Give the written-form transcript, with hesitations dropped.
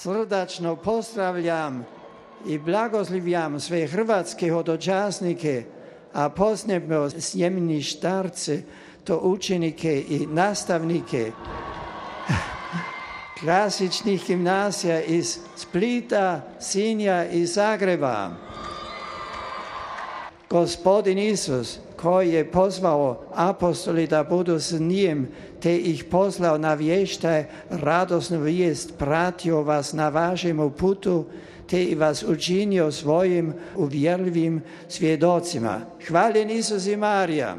Srdačno pozdravljam i blagoslovljam sve hrvatske hodočasnike, a posebno sjemeni starce, to učenike i nastavnike klasičnih gimnazija iz Splita, Sinja i Zagreba. Gospodin Isus, koji je pozvao apostoli da budu s njim, te ih poslao na vještaj radosnu vijest, pratio vas na vašem putu, te vas učinio svojim uvjerljivim svjedocima. Hvaljen Isus i Marija.